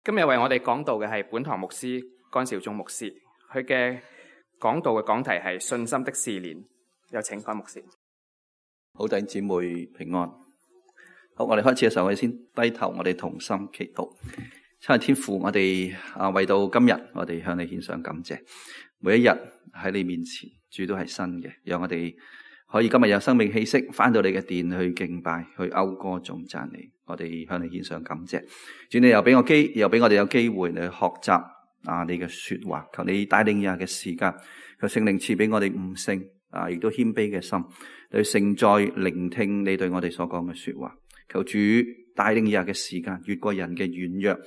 今日為我哋講道嘅係本堂牧師江少忠牧師，佢嘅講道嘅講題係信心的試煉。有請江牧師。好，弟兄姊妹平安。好，我哋開始嘅時候，我哋先低頭，我哋同心祈禱。親愛天父，我哋為到今日，我哋向你獻上感謝。每一日喺你面前，主都係新嘅，讓我哋可以今日有生命氣息，翻到你嘅殿去敬拜，去謳歌頌讚你。我哋向你獻上感謝。主，你又俾我哋有機會嚟學習你嘅說話。求你帶領以下嘅時間，求聖靈賜俾我哋悟性亦都謙卑嘅心，去承載聆聽你對我哋所講嘅說話。求主帶領以下嘅時間，越過人嘅軟弱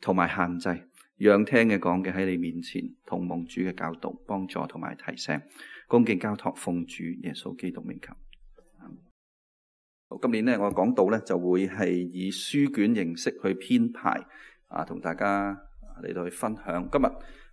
同埋限制，讓聽嘅講嘅喺你面前同蒙主嘅教導幫助同埋提醒，恭敬交託奉主耶穌基督名求。今年我講道就會係以書卷形式去編排同大家嚟到去分享。今日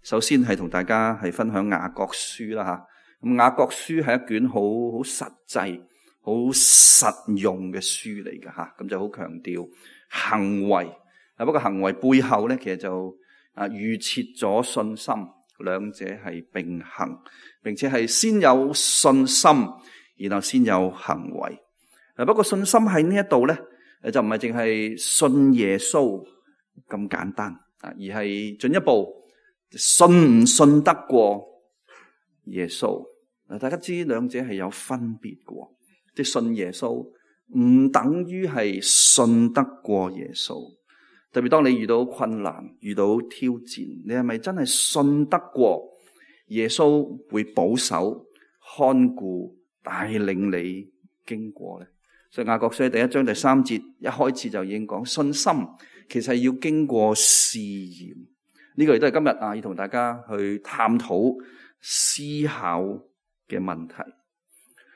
首先係同大家係分享雅各書啦吓。咁雅各書係一卷好實際、好實用嘅書嚟嘅吓。咁就好強調行為。不過行為背後其實就預設咗信心，兩者係並行，並且係先有信心，然後先有行為。不過信心喺呢一度就唔係淨係信耶穌咁簡單，而係進一步信唔信得過耶穌。大家知兩者係有分別嘅，即係信耶穌唔等於係信得過耶穌。特別當你遇到困難、遇到挑戰，你係咪真係信得過耶穌會保守、看顧、帶領你經過呢？所以雅各書第1章第3節一開始就已經講，信心其實要經過試驗。呢個亦都係今日要同大家去探討思考嘅問題。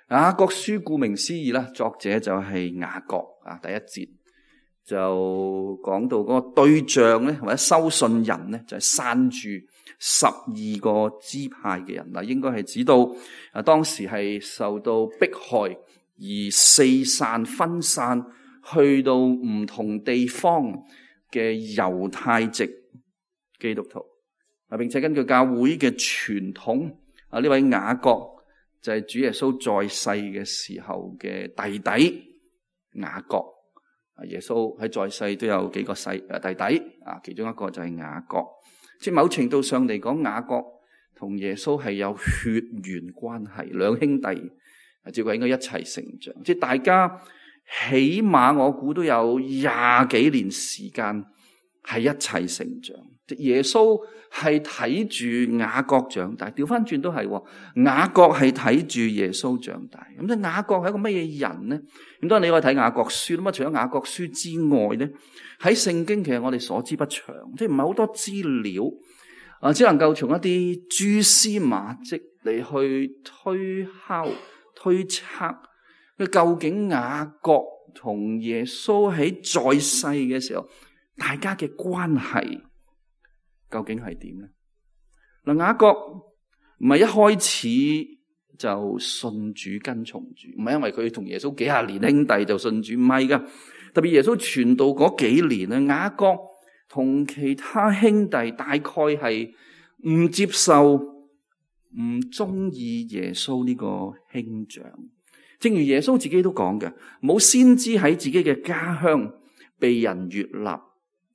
雅各書顧名思義啦，作者就係雅各第一節就講到嗰個對象或者收信人就係散住12個支派嘅人，應該係指到當時係受到迫害而四散分散去到唔同地方嘅猶太籍基督徒，並且根據教會嘅傳統，呢位雅各就係主耶穌在世嘅時候嘅弟弟雅各。耶穌喺在世都有幾個弟弟，其中一個就係雅各。即係某程度上嚟講，雅各同耶穌係有血緣關係，兩兄弟。照計應該一齊成長，即係大家起碼我估都有20幾年時間係一齊成長。即耶穌係睇住雅各長大，調翻轉都係雅各係睇住耶穌長大。咁即係雅各係一個乜嘢人呢？咁當然你可以睇雅各書，咁除咗雅各書之外呢，喺聖經其實我哋所知不詳，即係唔係好多資料，只能夠從一啲蛛絲馬跡嚟去推測佢究竟雅各同耶穌喺在世嘅時候，大家嘅關係究竟係點呢？雅各唔係一開始就信主跟從主，唔係因為佢同耶穌幾十年兄弟就信主，唔係噶。特別耶穌傳道嗰幾年雅各同其他兄弟大概係唔接受、唔中意耶穌呢個兄長。正如耶穌自己都講嘅，冇先知喺自己嘅家鄉被人悅納。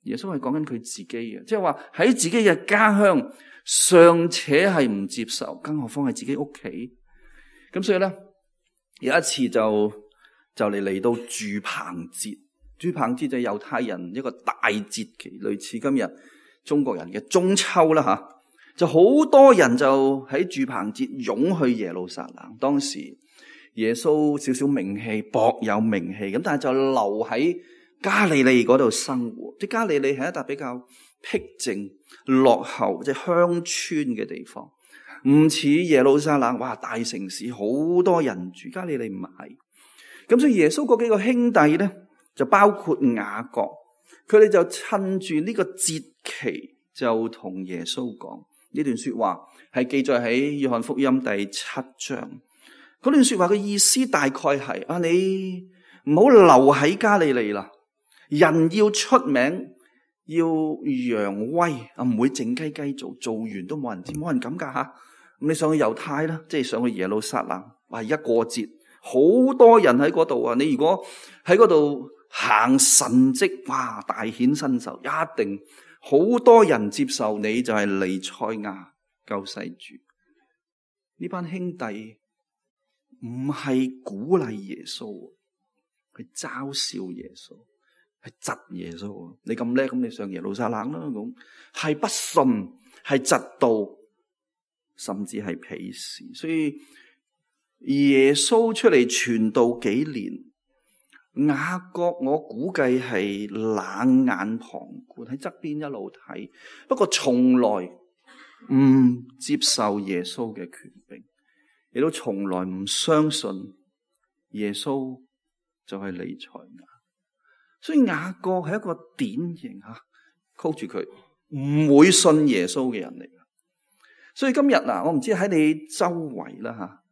耶穌係講緊佢自己嘅，即係話喺自己嘅家鄉尚且係唔接受，更何況係自己屋企。咁所以咧，有一次就嚟到住棚節。住棚節就係猶太人一個大節期，類似今日中國人嘅中秋啦吓。就好多人就喺住棚節湧去耶路撒冷。當時耶穌少少名氣，薄有名氣，咁但係就留喺加利利嗰度生活。即加利利係一笪比較僻靜、落後、即鄉村嘅地方，唔似耶路撒冷，哇，大城市好多人住。加利利唔係。咁所以耶穌嗰幾個兄弟咧，就包括雅各，佢哋就趁住呢個節期就同耶穌講。呢段說話係記載喺約翰福音第7章。嗰段說話嘅意思大概係你唔好留喺加利利啦，人要出名要揚威啊，唔會靜雞雞做，做完都冇人知，冇人敢噶吓。咁你上去猶太啦，即係上去耶路撒冷，哇！而家過節，好多人喺嗰度啊。你如果喺嗰度行神蹟，哇！大顯身手，一定好多人接受你就係彌賽亞救世主。呢班兄弟唔係鼓勵耶穌，係嘲笑耶穌，係窒耶穌。你咁叻，咁你上耶路撒冷啦，咁係不信，係窒道，甚至係鄙視。所以耶穌出嚟傳道幾年，雅各我估計係冷眼旁觀，喺側邊一路睇，不過從來唔接受耶穌嘅權柄，亦都從來唔相信耶穌就係彌賽亞。所以雅各係一個典型吓，call住佢唔會信耶穌嘅人嚟。所以今日我唔知喺你周圍啦吓，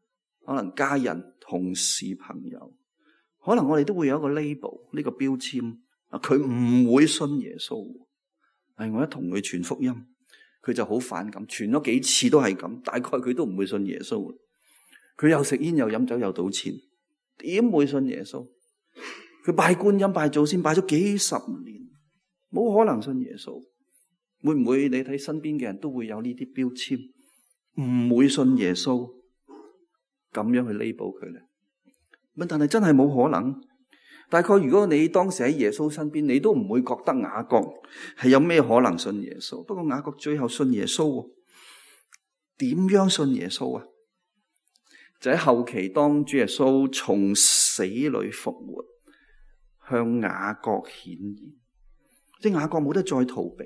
可能家人、同事、朋友，可能我哋都會有一個 label， 呢個標籤，佢唔會信耶穌。我一同佢傳福音，佢就好反感，傳咗幾次都係咁，大概佢都唔會信耶穌。佢又食煙又飲酒又賭錢，點會信耶穌？佢拜觀音拜祖先拜咗幾十年，冇可能信耶穌。會唔會你睇身邊嘅人都會有呢啲標籤，唔會信耶穌，咁樣去 label 佢咧？但係真係冇可能。大概如果你當時喺耶穌身邊，你都唔會覺得雅各係有咩可能信耶穌。不過雅各最後信耶穌，點樣信耶穌啊？就喺後期，當主耶穌從死裏復活，向雅各顯現，即係雅各冇得再逃避，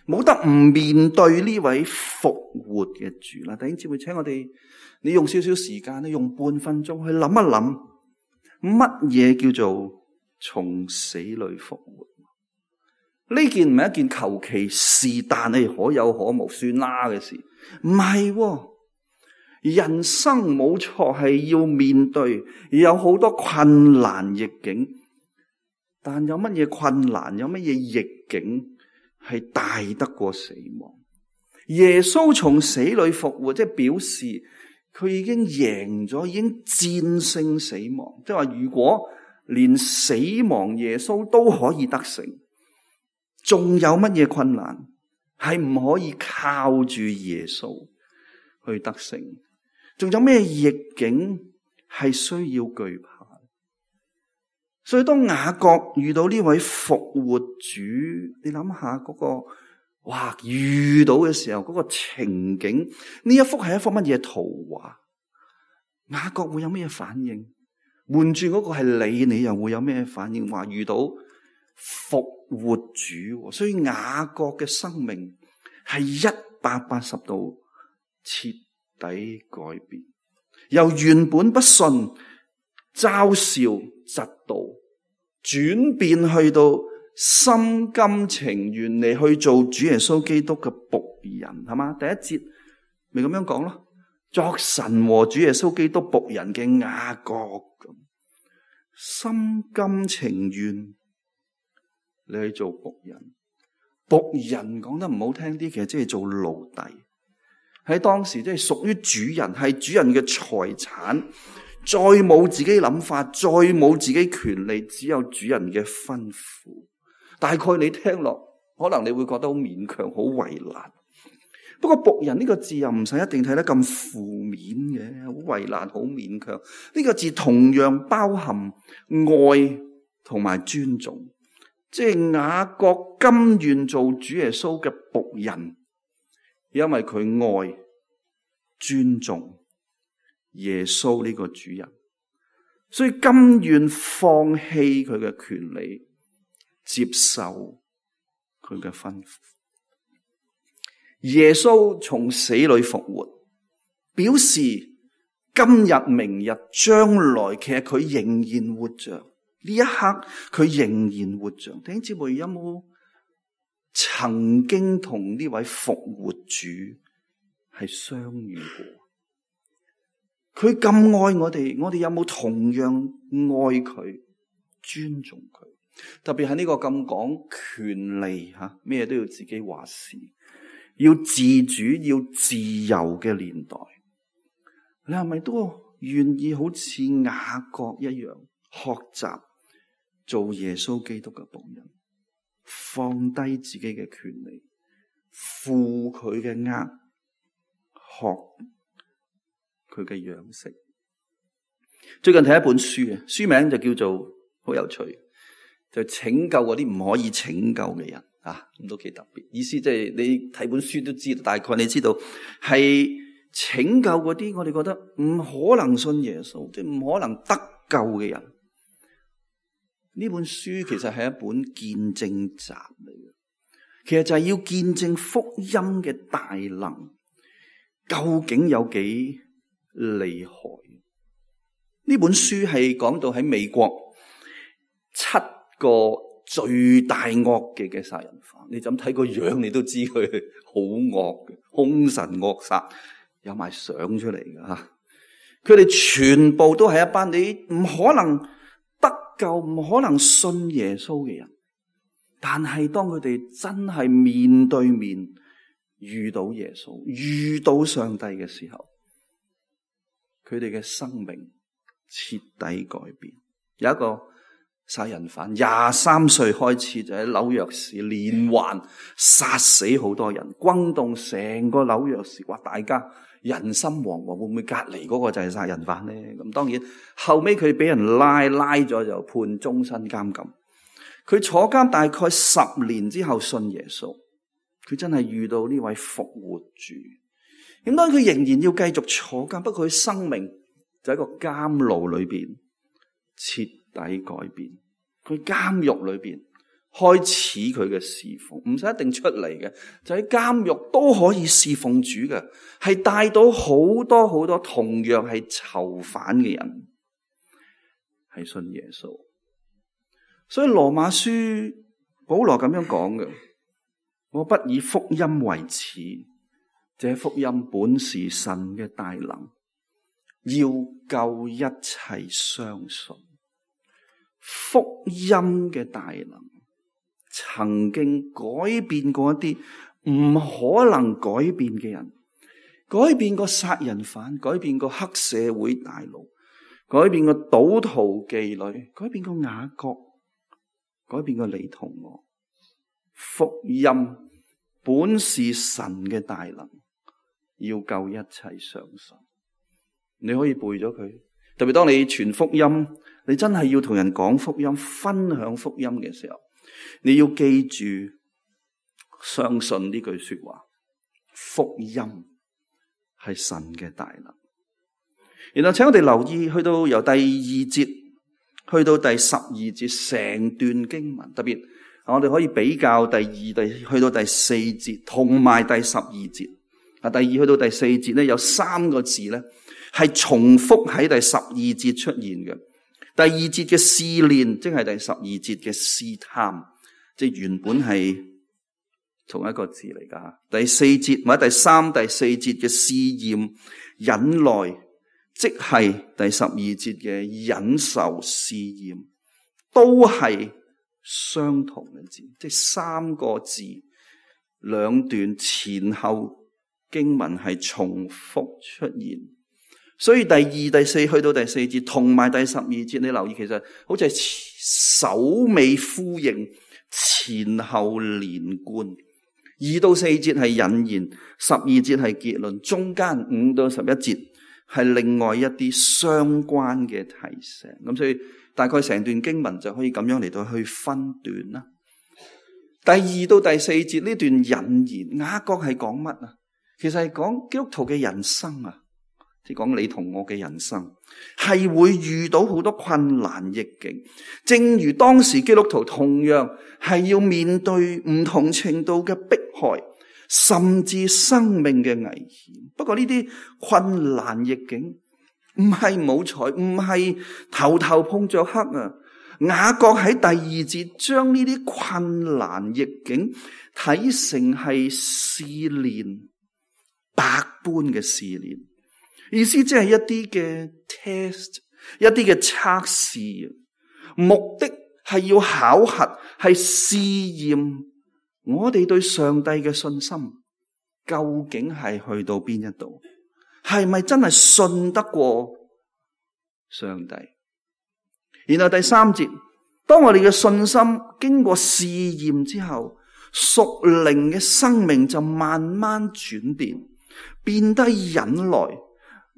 冇得唔面對呢位復活嘅主啦。弟兄姊妹，請我哋，你用少少時間，你用半分鐘去諗一諗，乜嘢叫做從死裏復活？呢件唔係一件求其是但係可有可無算啦嘅事，唔係。人生冇錯係要面對，有好多困難逆境，但有乜嘢困難，有乜嘢逆境係大得過死亡？耶穌從死裏復活，即係表示佢已經贏咗，已經戰勝死亡。即係話，如果連死亡耶穌都可以得勝，仲有乜嘢困難係唔可以靠住耶穌去得勝？仲有咩逆境係需要懼怕？所以當雅各遇到呢位復活主，你諗下嗰個遇到嘅時候嗰個情景，呢一幅係一幅乜嘢圖畫？雅各會有咩反應？換住嗰個係你又會有咩反應？話遇到復活主，所以雅各嘅生命係180度徹底改變，由原本不信、嘲笑、嫉妒，轉變去到心甘情願嚟去做主耶穌基督嘅僕人，係嘛？第一節咪咁樣講咯，作神和主耶穌基督僕人嘅雅各，心甘情願你去做僕人。僕人講得唔好聽啲，其實即係做奴隸。喺當時即係屬於主人，係主人嘅財產，再冇自己諗法，再冇自己權利，只有主人嘅吩咐。大概你聽落，可能你會覺得好勉強，好為難。不過僕人呢個字又唔使一定睇得咁負面嘅，好為難，好勉強。呢個字同樣包含愛同埋尊重，即係雅各甘願做主耶穌嘅僕人，因為佢愛、尊重耶穌呢個主人，所以甘願放棄佢嘅權利，接受佢嘅吩咐。耶穌從死裏復活，表示今日、明日、將來，其實佢仍然活着。呢一刻佢仍然活着。弟兄姊妹，有冇曾經同呢位復活主係相遇過？佢咁愛我哋，我哋有冇同樣愛佢、尊重佢？特別喺呢個咁講權利吓，咩都要自己話事，要自主、要自由嘅年代，你係咪都願意好似雅各一樣學習做耶穌基督嘅僕人，放低自己嘅權利，負佢嘅軛，學佢嘅樣式？最近睇一本書啊，書名就叫做好有趣，就拯救嗰啲唔可以拯救嘅人啊，咁都幾特別。意思即係你睇本書都知道，大概你知道係拯救嗰啲我哋覺得唔可能信耶穌，即係唔可能得救嘅人。呢本書其實係一本見證集嚟嘅，其實就係要見證福音嘅大能究竟有幾厲害。呢本書係講到喺美國7個最大惡嘅殺人犯，你就咁睇個樣，你都知佢好惡嘅，兇神惡煞，有埋相出嚟嘅吓。佢哋全部都係一班你唔可能得救、唔可能信耶穌嘅人，但係當佢哋真係面對面遇到耶穌、遇到上帝嘅時候，佢哋嘅生命徹底改變。有一個殺人犯23歲開始就喺紐約市連環殺死好多人，轟動成個紐約市，哇！大家人心惶惶，會唔會隔離嗰個就係殺人犯呢？咁當然後尾佢俾人拉咗就判終身監禁。佢坐監大概10年之後信耶穌，佢真係遇到呢位復活主。咁當然佢仍然要繼續坐監，不過佢生命就喺個監牢裏邊徹底改變。佢監獄裏邊開始佢嘅侍奉，唔使一定出嚟嘅，就喺監獄都可以侍奉主嘅，係帶到好多好多同樣係囚犯嘅人係信耶穌。所以羅馬書保羅咁樣講嘅，我不以福音為恥，這福音本是神嘅大能，要救一切相信。福音嘅大能曾經改變過一啲唔可能改變嘅人，改變過殺人犯，改變過黑社會大佬，改變過賭徒妓女，改變過雅各，改變過你同我。福音本是神嘅大能，要救一切相信。你可以背咗佢，特別當你傳福音，你真係要同人講福音、分享福音嘅時候，你要記住相信呢句說話，福音係神嘅大能。然後請我哋留意，去到由第2節去到第12節成段經文，特別我哋可以比較第2去到第4節同埋第12節。第2去到第4節咧，有3個字咧係重複喺第12節出現嘅。第2節嘅試煉，即係第12節嘅試探，即係原本係同一個字嚟噶。第4節或者第3、第4節嘅試驗、忍耐，即係第12節嘅忍受試驗，都係相同嘅字，即係3個字，兩段前後經文係重複出現。所以第2、第4去到第4節同埋第12節，你留意其實好似係首尾呼應，前後連貫。2到4節係引言，12節係結論，中間5到11節係另外一啲相關嘅提醒。咁所以大概成段經文就可以咁樣嚟到去分段啦。第2到第4節呢段引言，雅各係講乜啊？其實係講基督徒嘅人生啊。即係講你同我嘅人生係會遇到好多困難逆境，正如當時基督徒同樣係要面對唔同程度嘅迫害，甚至生命嘅危險。不過呢啲困難逆境唔係冇彩，唔係頭頭碰着黑啊！雅各喺第2節將呢啲困難逆境睇成係試煉，百般嘅試煉。意思即係一啲嘅 test， 一啲嘅測試，目的係要考核，係試驗我哋對上帝嘅信心究竟係去到邊一度，係咪真係信得過上帝？然後第3節，當我哋嘅信心經過試驗之後，屬靈嘅生命就慢慢轉變，變得忍耐，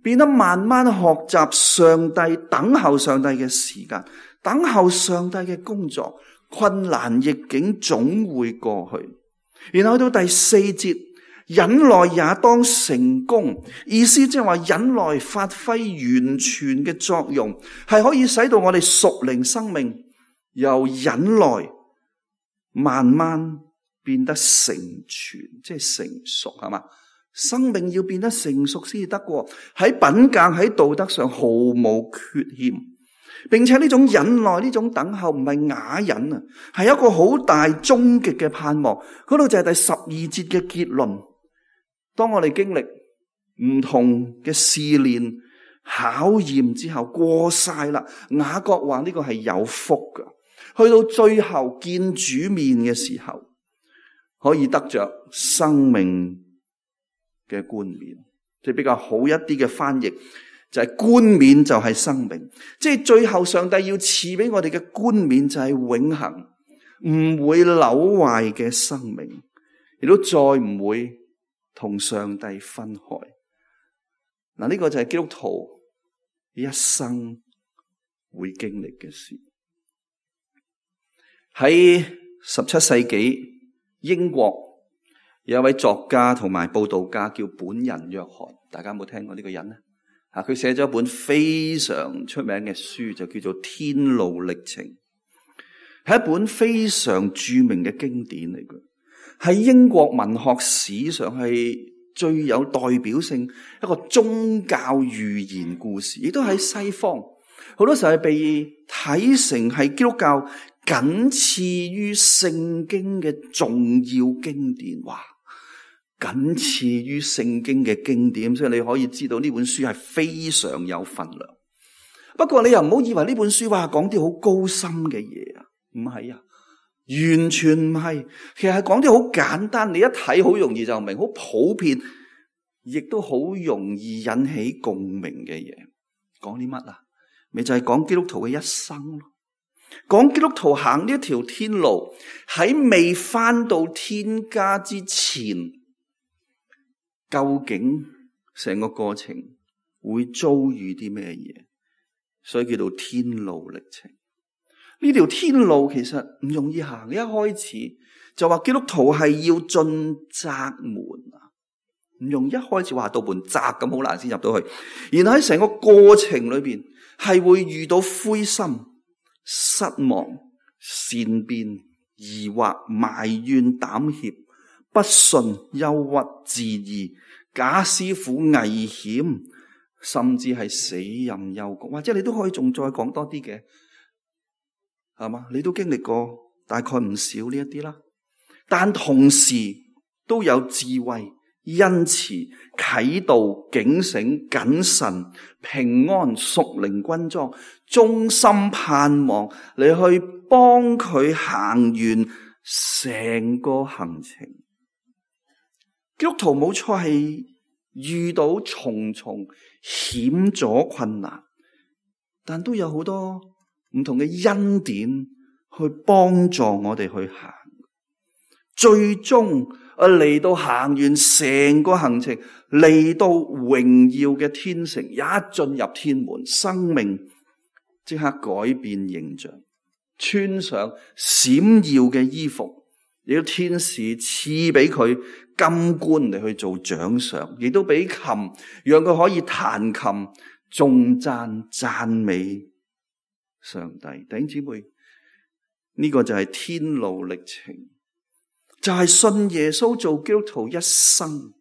變得慢慢學習上帝，等候上帝嘅時間，等候上帝嘅工作，困難逆境總會過去。然後到第4節，忍耐也當成功，意思即係話忍耐發揮完全嘅作用，係可以使到我哋屬靈生命由忍耐慢慢變得成全，即係成熟，係嘛？生命要變得成熟先至得過，喺品格喺道德上毫無缺欠，並且呢種忍耐呢種等候唔係啞忍啊，係一個好大終極嘅盼望。嗰度就係第12節嘅結論。當我哋經歷唔同嘅試煉考驗之後過晒啦，雅各話呢個係有福噶，去到最後見主面嘅時候，可以得着生命嘅冠冕，即係比較好一啲嘅翻譯就係冠冕就係生命，即係最後上帝要賜俾我哋嘅冠冕就係永恆唔會朽壞嘅生命，亦都再唔會同上帝分開。嗱，呢個就係基督徒一生會經歷嘅事。喺17世紀英國有一位作家同埋佈道家叫本人約翰，大家有冇聽過呢個人呢？佢寫咗一本非常出名嘅書，就叫做《天路歷程》，係一本非常著名嘅經典嚟嘅，喺英國文學史上係最有代表性一個宗教寓言故事，亦都喺西方好多時候係被睇成係基督教僅次於聖經嘅重要經典。哇！僅次於聖經嘅經典，所以你可以知道呢本書係非常有分量。不過你又唔好以為呢本書話講啲好高深嘅嘢啊，唔係啊，完全唔係。其實係講啲好簡單，你一睇好容易就明，好普遍，亦都好容易引起共鳴嘅嘢。講啲乜啊？咪就係講基督徒嘅一生咯。講基督徒行呢一條天路，喺未返到天家之前，究竟成個過程會遭遇啲咩嘢？所以叫做天路歷程。呢條天路其實唔容易行，一開始就話基督徒係要進窄門啊，唔容易。一開始話道門窄咁好難先入到去，然後喺成個過程裏邊係會遇到灰心、失望、善變、疑惑、埋怨、膽怯、不信、憂鬱、自義、假師傅、危險，甚至係死蔭幽谷，或者你都可以仲再講多啲嘅，係嘛？你都經歷過大概唔少呢一啲啦，但同時都有智慧、恩慈、啟導、警醒、謹慎、平安、屬靈軍裝、忠心盼望，你去幫佢行完成個行程。基督徒冇錯係遇到重重險阻困難，但都有好多唔同嘅恩典去幫助我哋去行。最終嚟到行完成個行程，嚟到榮耀嘅天城，一進入天門，生命即刻改變形象，穿上閃耀嘅衣服，亦都天使賜俾佢金冠嚟去做獎賞，亦都俾琴讓佢可以彈琴頌讚讚美上帝。弟兄姊妹，呢個就係天路歷程，就係信耶穌做基督徒一生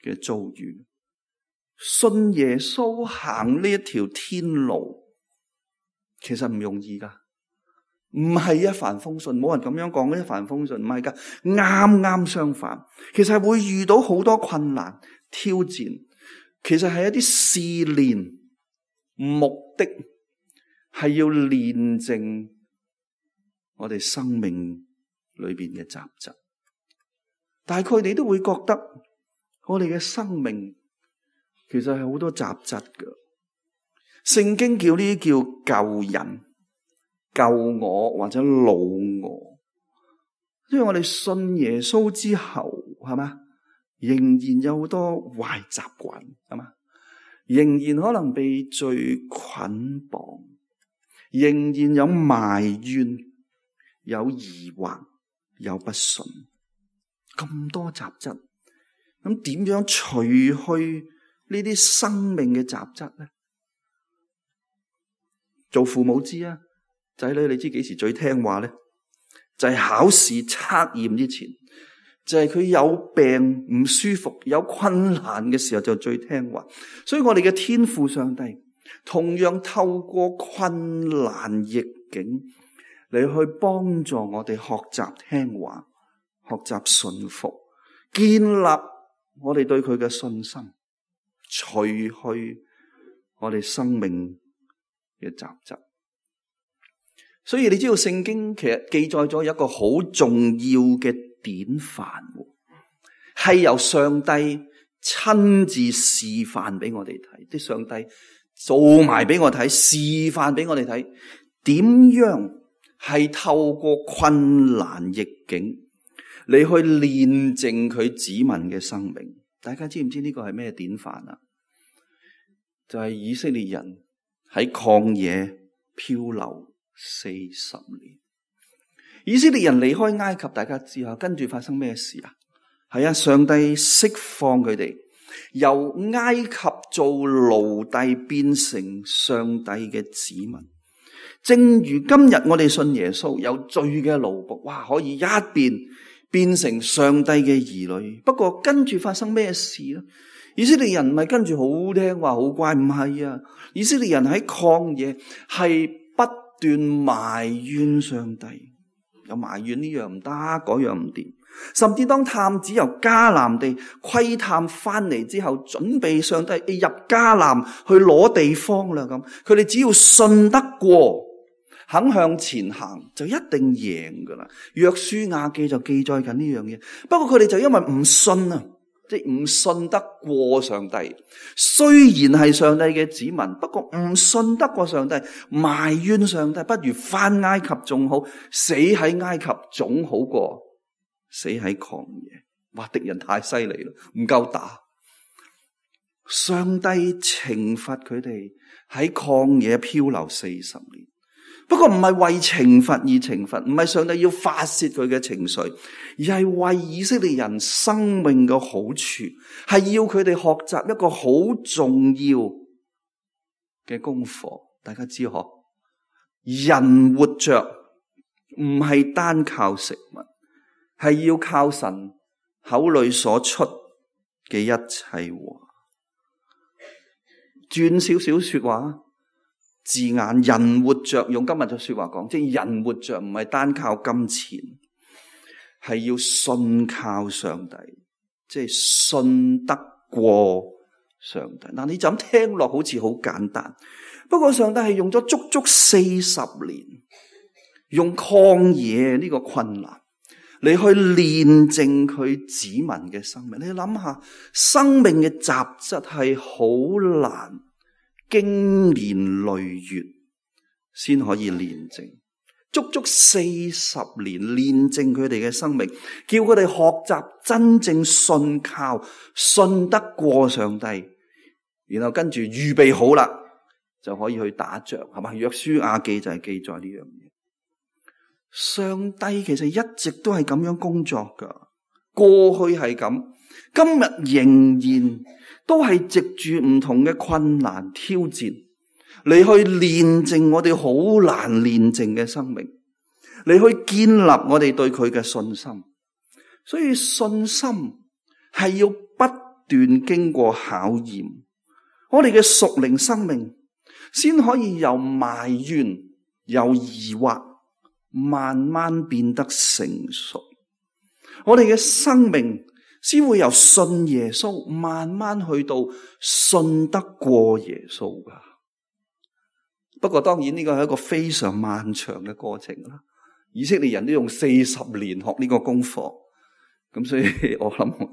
嘅遭遇。信耶穌行呢一條天路，其實唔容易噶，唔係一帆風順，冇人咁樣講一帆風順，唔係噶，啱啱相反，其實係會遇到好多困難挑戰，其實係一啲試煉，目的係要煉淨我哋生命裏邊嘅雜質。但係佢哋都會覺得我哋嘅生命其實係好多雜質㗎。聖經叫呢啲叫舊人、舊我或者老我。因為我哋信耶穌之後，係嘛，仍然有好多壞習慣，係嘛，仍然可能被罪捆綁，仍然有埋怨、有疑惑、有不信，咁多雜質。咁點樣除去呢啲生命嘅雜質呢？做父母知啊，仔女你知幾時最聽話呢？就係考試測驗之前，就係佢有病唔舒服有困難嘅時候就最聽話。所以我哋嘅天父上帝同樣透過困難逆境嚟去幫助我哋學習聽話，學習順服，建立我哋對佢嘅信心，除去我哋生命嘅雜質。所以你知道聖經其實記載咗一個好重要嘅典範，係由上帝親自示範俾我哋睇，即係上帝做埋俾我睇，示範俾我哋睇，點樣係透過困難逆境你去煉淨佢子民嘅生命。大家知唔知呢個係咩典範啊？就係以色列人喺曠野漂流40年，以色列人離開埃及，大家知啊，跟住發生咩事啊？係啊，上帝釋放佢哋，由埃及做奴隸變成上帝嘅子民。正如今日我哋信耶穌，有罪嘅奴僕，哇，可以一變成上帝嘅兒女。不過跟住發生咩事呢？以色列人唔係跟住好聽話好乖，唔係啊！以色列人喺曠野係不斷埋怨上帝，有埋怨呢樣唔得，嗰樣唔掂。甚至當探子由迦南地窺探翻嚟之後，準備上帝入迦南去攞地方啦，咁佢哋只要信得過，肯向前行，就一定贏噶啦。約書亞記就記載緊呢樣嘢。不過佢哋就因為唔信啊，即係唔信得過上帝。雖然係上帝嘅子民，不過唔信得過上帝，埋怨上帝，不如翻埃及仲好，死喺埃及總好過死喺曠野。哇！敵人太犀利啦，唔夠打。上帝懲罰佢哋喺曠野漂流40年。不過唔係為懲罰而懲罰，唔係上帝要發洩佢嘅情緒，而係為以色列人生命嘅好處，係要佢哋學習一個好重要嘅功課。大家知嗬，人活着唔係單靠食物，係要靠神口裏所出嘅一切話。轉少少說話字眼，人活着，用今日嘅說話講，即係人活着唔係單靠金錢，係要信靠上帝，即係信得過上帝。嗱，你就咁聽落好似好簡單，不過上帝係用咗足足40年，用曠野呢個困難你去煉淨佢子民嘅生命。你諗下，生命嘅雜質係好難經年累月先可以煉淨，足足40年煉淨佢哋嘅生命，叫佢哋學習真正信靠、信得過上帝，然後跟住預備好啦，就可以去打仗，係嘛？約書亞記就係記載呢樣嘢。上帝其實一直都係咁樣工作噶，過去係咁，今日仍然都係藉住唔同嘅困難挑戰嚟去煉淨我哋好難煉淨嘅生命，嚟去建立我哋對佢嘅信心。所以信心係要不斷經過考驗，我哋嘅屬靈生命先可以由埋怨、由疑惑慢慢變得成熟，我哋嘅生命先會由信耶穌慢慢去到信得過耶穌噶。不過當然呢個係一個非常漫長嘅過程啦，以色列人都用40年學呢個功課，咁所以我諗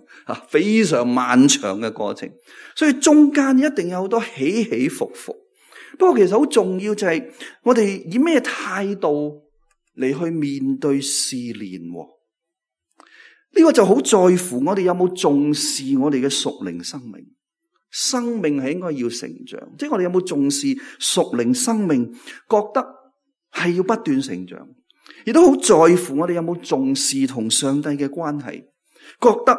非常漫長嘅過程，所以中間一定有好多起起伏伏。不過其實好重要就係我哋以咩態度嚟去面對試煉，呢個就好在乎我哋有冇重視我哋嘅屬靈生命。生命係應該要成長，即係我哋有冇重視屬靈生命，覺得係要不斷成長，亦都好在乎我哋有冇重視同上帝嘅關係，覺得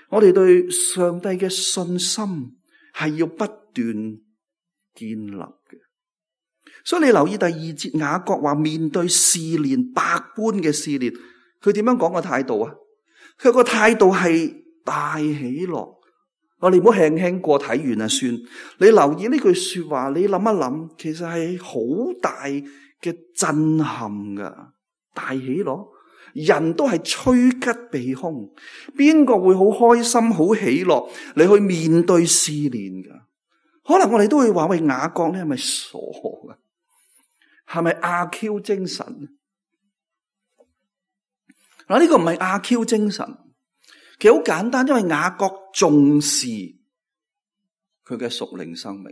我哋對上帝嘅信心係要不斷建立嘅。所以你留意第2節，雅各話面對試煉，百般嘅試煉，佢點樣講個態度啊？佢個態度係大喜樂。我哋唔好輕輕過睇完啊算。你留意呢句說話，你諗一諗，其實係好大嘅震撼噶。大喜樂，人都係趨吉避凶，邊個會好開心、好喜樂你去面對試煉噶？可能我哋都會話喂，雅各咧係咪傻噶？係咪阿 Q 精神？嗱，呢個唔係阿 Q 精神。其實好簡單，因為雅各重視佢嘅屬靈生命，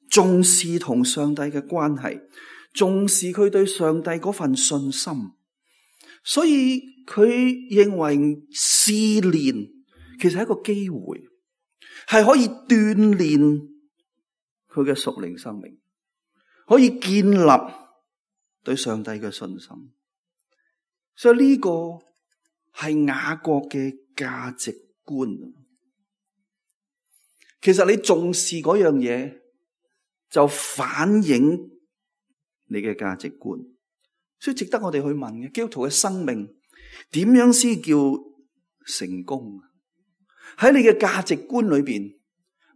重視同上帝嘅關係，重視佢對上帝嗰份信心，所以佢認為試煉其實係一個機會，係可以鍛煉佢嘅屬靈生命，可以建立對上帝嘅信心。所以呢個係雅各嘅價值觀。其實你重視嗰樣嘢，就反映你嘅價值觀，所以值得我哋去問嘅，基督徒嘅生命點樣先叫成功？喺你嘅價值觀裏邊，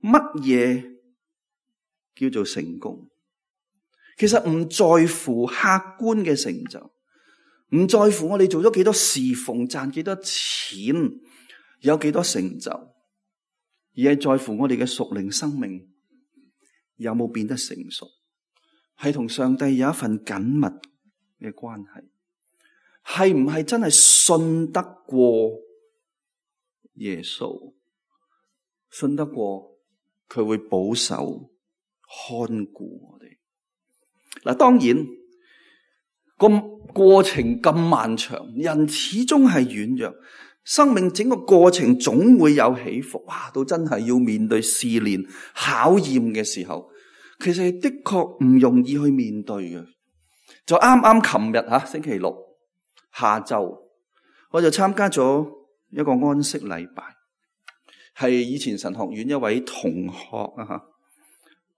乜嘢叫做成功？其實唔在乎客觀嘅成就，唔在乎我哋做咗幾多侍奉，賺幾多錢，有幾多成就，而係在乎我哋嘅屬靈生命有冇變得成熟，係同上帝有一份緊密嘅關係，係唔係真係信得過耶穌，信得過佢會保守看顧我哋。嗱，當然個過程咁漫長，人始終係軟弱，生命整個過程總會有起伏。哇，到真係要面對試煉考驗嘅時候，其實的確唔容易去面對嘅。就啱啱琴日星期六下晝，我就參加咗一個安息禮拜，係以前神學院一位同學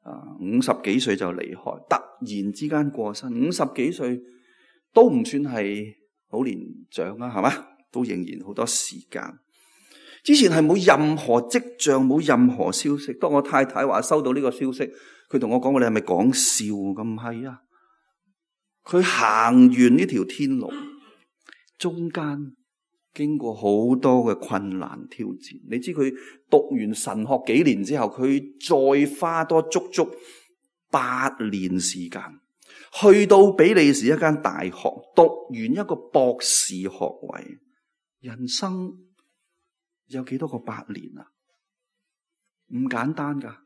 50幾歲就離開，突然之間過身。50幾歲都唔算係好年長啊，係嘛？都仍然好多時間。之前係冇任何跡象，冇任何消息。當我太太話收到呢個消息，佢同我講：你係咪講笑？咁唔係啊！佢行完呢條天路，中間經過好多嘅困難挑戰。你知佢讀完神學幾年之後，佢再花多足足8年時間，去到比利時一間大學讀完一個博士學位。人生有幾多個8年啊？唔簡單噶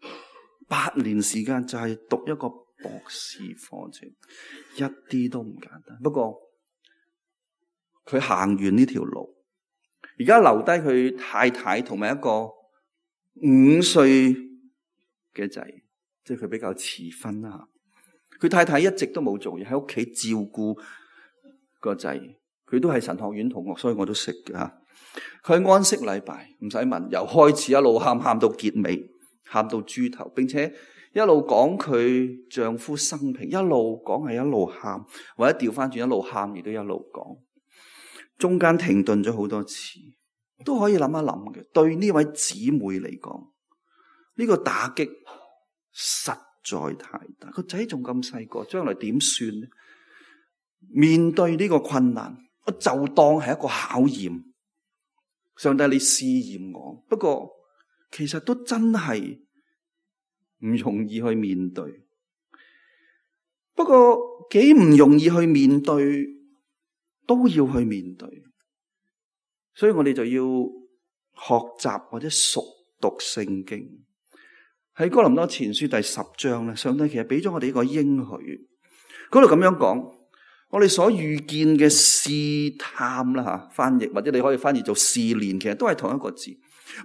，8年時間就係讀一個博士課程，一啲都唔簡單。不過佢行完呢條路，而家留低佢太太同埋一個5歲嘅仔，即係佢比較遲婚啦。佢太太一直都冇做嘢，喺屋企照顧個仔。佢都係神學院同學，所以我都識嘅吓。佢安息禮拜唔使問，由開始一路喊到結尾，喊到豬頭，並且一路講佢丈夫生平，一路講係一路喊，或者調翻轉一路喊，亦都一路講。中間停頓咗好多次，都可以諗一諗嘅。對呢位姊妹嚟講，呢個打擊實在太大。個仔仲咁細個，將來點算呢？面對呢個困難，我就當係一個考驗。上帝，你試驗我。不過其實都真係唔容易去面對。不過幾唔容易去面對，都要去面對。所以我哋就要學習或者熟讀聖經。喺哥林多前書第10章咧，上帝其實俾咗我哋一個應許，嗰度咁樣講，我哋所遇見嘅試探啦，翻譯或者你可以翻譯做試煉，其實都係同一個字，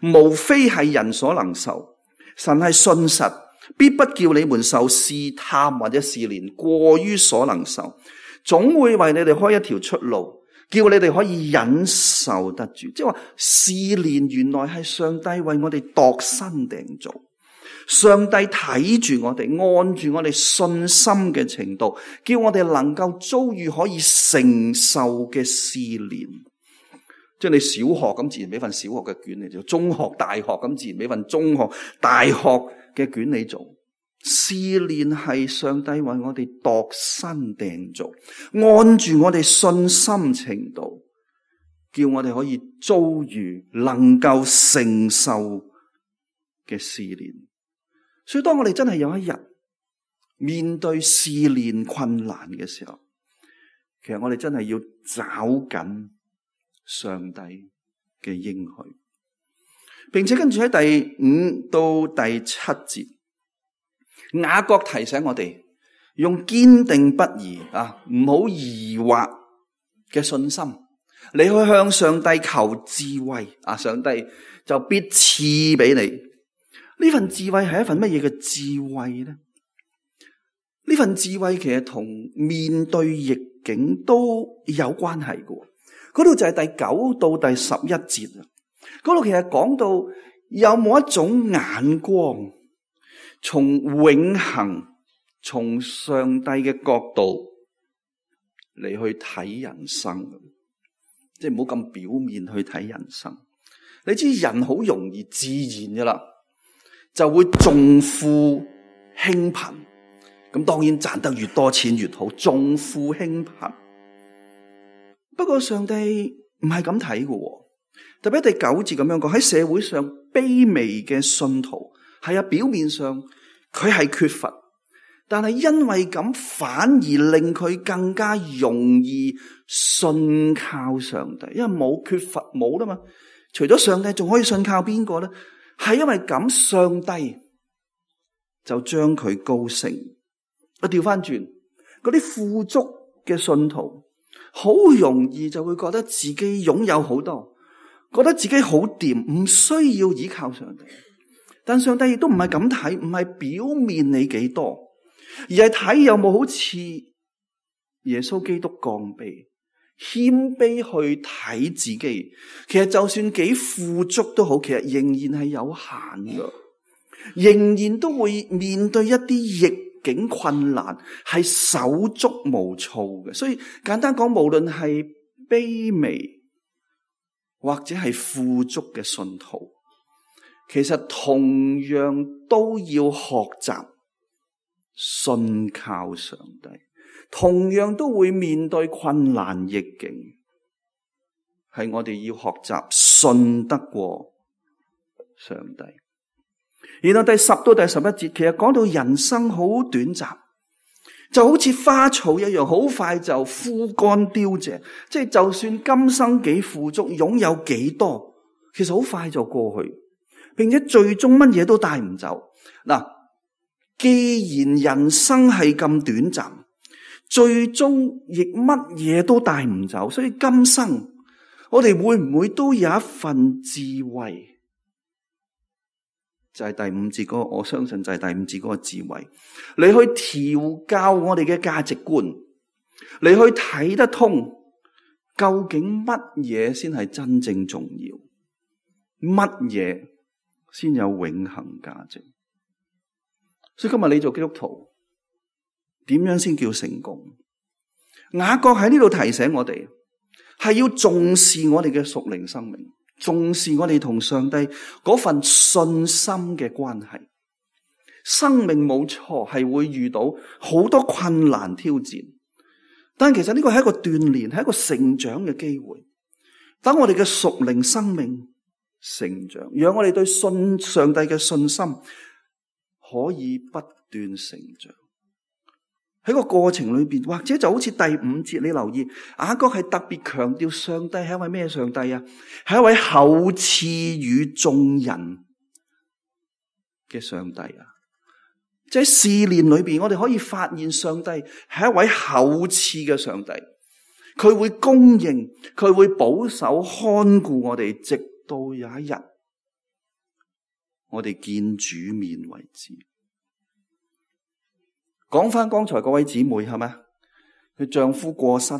無非係人所能受。神係信實，必不叫你們受試探或者試煉過於所能受，總會為你哋開一條出路，叫你哋可以忍受得住。即係話試煉原來係上帝為我哋度身訂造，上帝睇住我哋，按住我哋信心嘅程度，叫我哋能夠遭遇可以承受嘅試煉。即係你小學咁，自然俾份小學嘅卷你做；中學、大學咁，自然俾份中學、大學嘅卷你做。試煉係上帝為我哋度身訂造，按住我哋信心程度，叫我哋可以遭遇能夠承受嘅試煉。所以當我哋真係有一日面對試煉困難嘅時候，其實我哋真係要抓緊上帝嘅應許，並且跟住喺第5到第7節，雅各提醒我哋用堅定不移唔好疑惑嘅信心，你去向上帝求智慧上帝就必賜俾你。呢份智慧係一份乜嘢嘅智慧呢？呢份智慧其實同面對逆境都有關係嘅。嗰度就係第9到第11節。嗰度其實講到有冇一種眼光，從永恆、從上帝嘅角度嚟去睇人生，即係唔好咁表面去睇人生。你知人好容易自然噶啦，就會重富輕貧。咁當然賺得越多錢越好，重富輕貧。不過上帝唔係咁睇嘅，特別第9節咁樣講，喺社會上卑微嘅信徒係表面上佢係缺乏，但係因為咁反而令佢更加容易信靠上帝，因為冇缺乏冇啦嘛。除咗上帝仲可以信靠邊個咧？係因為咁上帝就將佢高升。我調翻轉，嗰啲富足嘅信徒好容易就會覺得自己擁有好多，覺得自己好掂，唔需要依靠上帝。但上帝亦都唔係咁睇，唔係表面你幾多，而係睇有冇好似耶穌基督降卑、謙卑去睇自己。其實就算幾富足都好，其實仍然係有限噶，仍然都會面對一啲逆境困難，係手足無措嘅。所以簡單講，無論係卑微或者係富足嘅信徒，其實同樣都要學習信靠上帝，同樣都會面對困難逆境，係我哋要學習信得過上帝。然後第10到第11節，其實講到人生好短暫，就好似花草一樣，好快就枯乾凋謝。即係就算今生幾富足，擁有幾多，其實好快就過去，並且最終乜嘢都帶唔走。嗱，既然人生係咁短暫，最終亦乜嘢都帶唔走，所以今生我哋會唔會都有一份智慧？就係第5節嗰個，我相信就係第5節嗰個智慧，你去調教我哋嘅價值觀，你去睇得通究竟乜嘢先係真正重要，乜嘢先有永恆價值。所以今日你做基督徒點樣先叫成功？雅各喺呢度提醒我哋，係要重視我哋嘅屬靈生命，重視我哋同上帝嗰份信心嘅關係。生命冇錯係會遇到好多困難挑戰，但其實呢個係一個鍛煉，係一個成長嘅機會。等我哋嘅屬靈生命成長，讓我哋對信上帝嘅信心可以不斷成長。喺個過程裏邊，或者就好似第5節，你留意雅各係特別強調上帝係一位咩上帝啊？係一位厚賜與眾人嘅上帝啊！即係試煉裏邊，我哋可以發現上帝係一位厚賜嘅上帝，佢會供應，佢會保守看顧我哋，直到有一日我哋見主面為止。講翻剛才嗰位姊妹係咪？佢丈夫過身，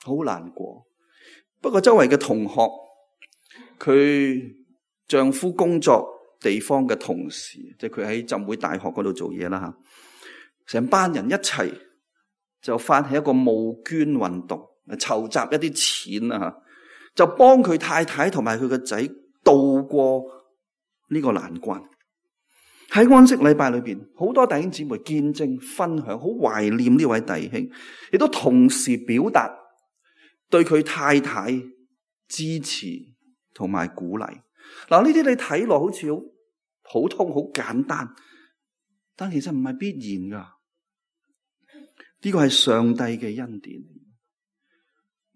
好難過。不過周圍嘅同學，佢丈夫工作地方嘅同事，即係佢喺浸會大學嗰度做嘢啦吓，成班人一齊就發起一個募捐運動，籌集一啲錢啊吓，就幫佢太太同埋佢個仔渡過呢個難關。喺安息禮拜裏邊，好多弟兄姊妹見證分享，好懷念呢位弟兄，亦都同時表達對佢太太支持同埋鼓勵。嗱，呢啲你睇落好似好普通、好簡單，但其實唔係必然噶。呢個係上帝嘅恩典，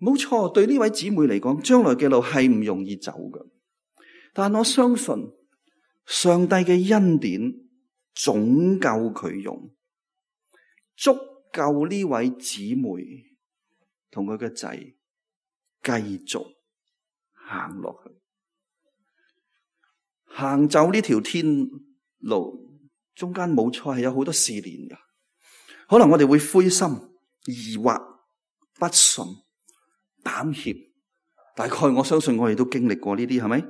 冇錯。對呢位姊妹嚟講，將來嘅路係唔容易走噶，但我相信上帝嘅恩典總夠佢用，足夠呢位姊妹同佢嘅仔繼續行落去，行走呢條天路，中間冇錯係有好多試煉噶，可能我哋會灰心、疑惑、不順、膽怯，大概我相信我哋都經歷過呢啲，係咪？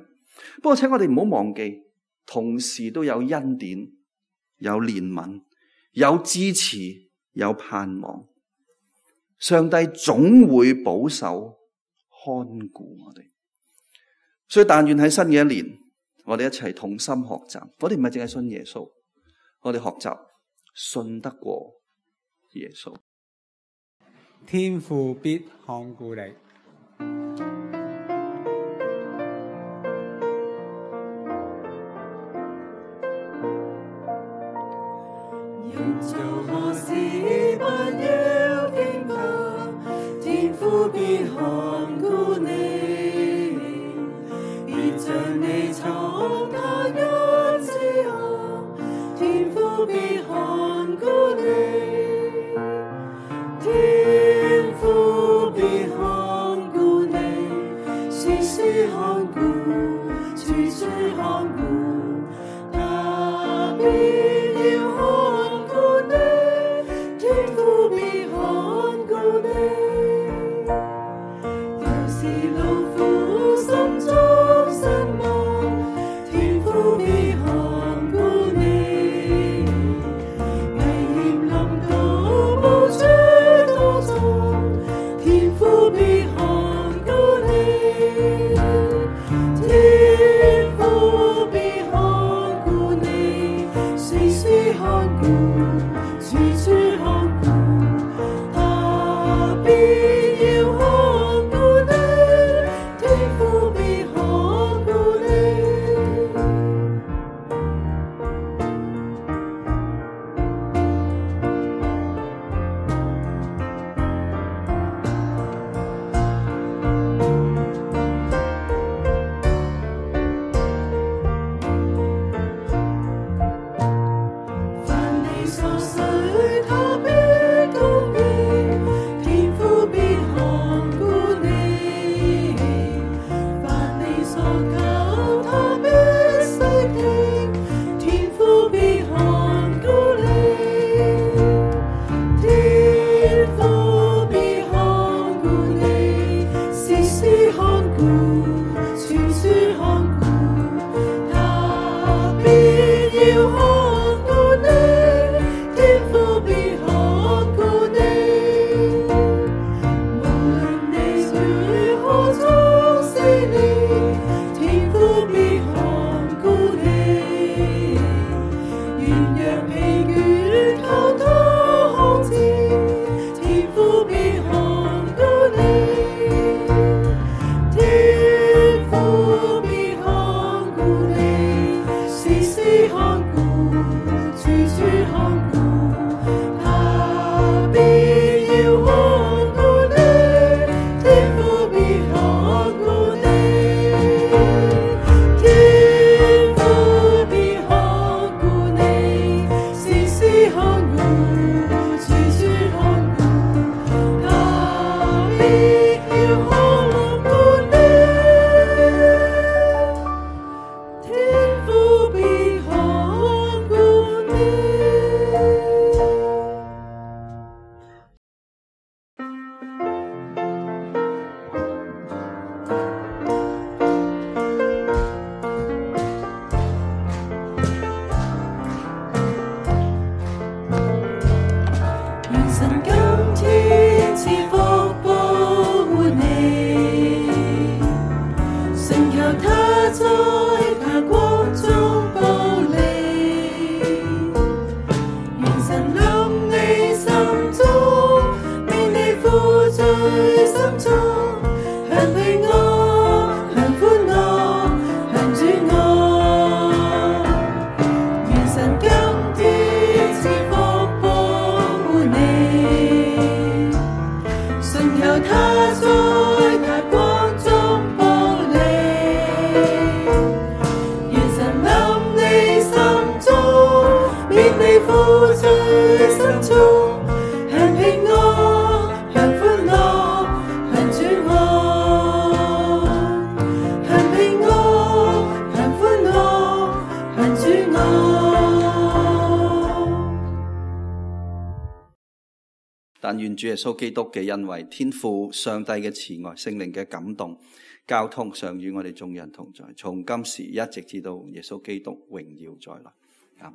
不過請我哋唔好忘記，同時都有恩典、有憐憫、有支持、有盼望。上帝總會保守看顧我哋，所以但願喺新嘅一年，我哋一齊同心學習。我哋唔係淨係信耶穌，我哋學習信得過耶穌。天父必看顧你。人做何事不要驚怕，天父必看顧你，必將你從他恩賜下，天父必看顧你，天父必看顧你，時時看顧，處處看顧，他必天父必但願主耶穌基督嘅恩惠、天父上帝嘅慈愛、聖靈嘅感動、交通常與我哋眾人同在，從今時一直至到耶穌基督榮耀再來。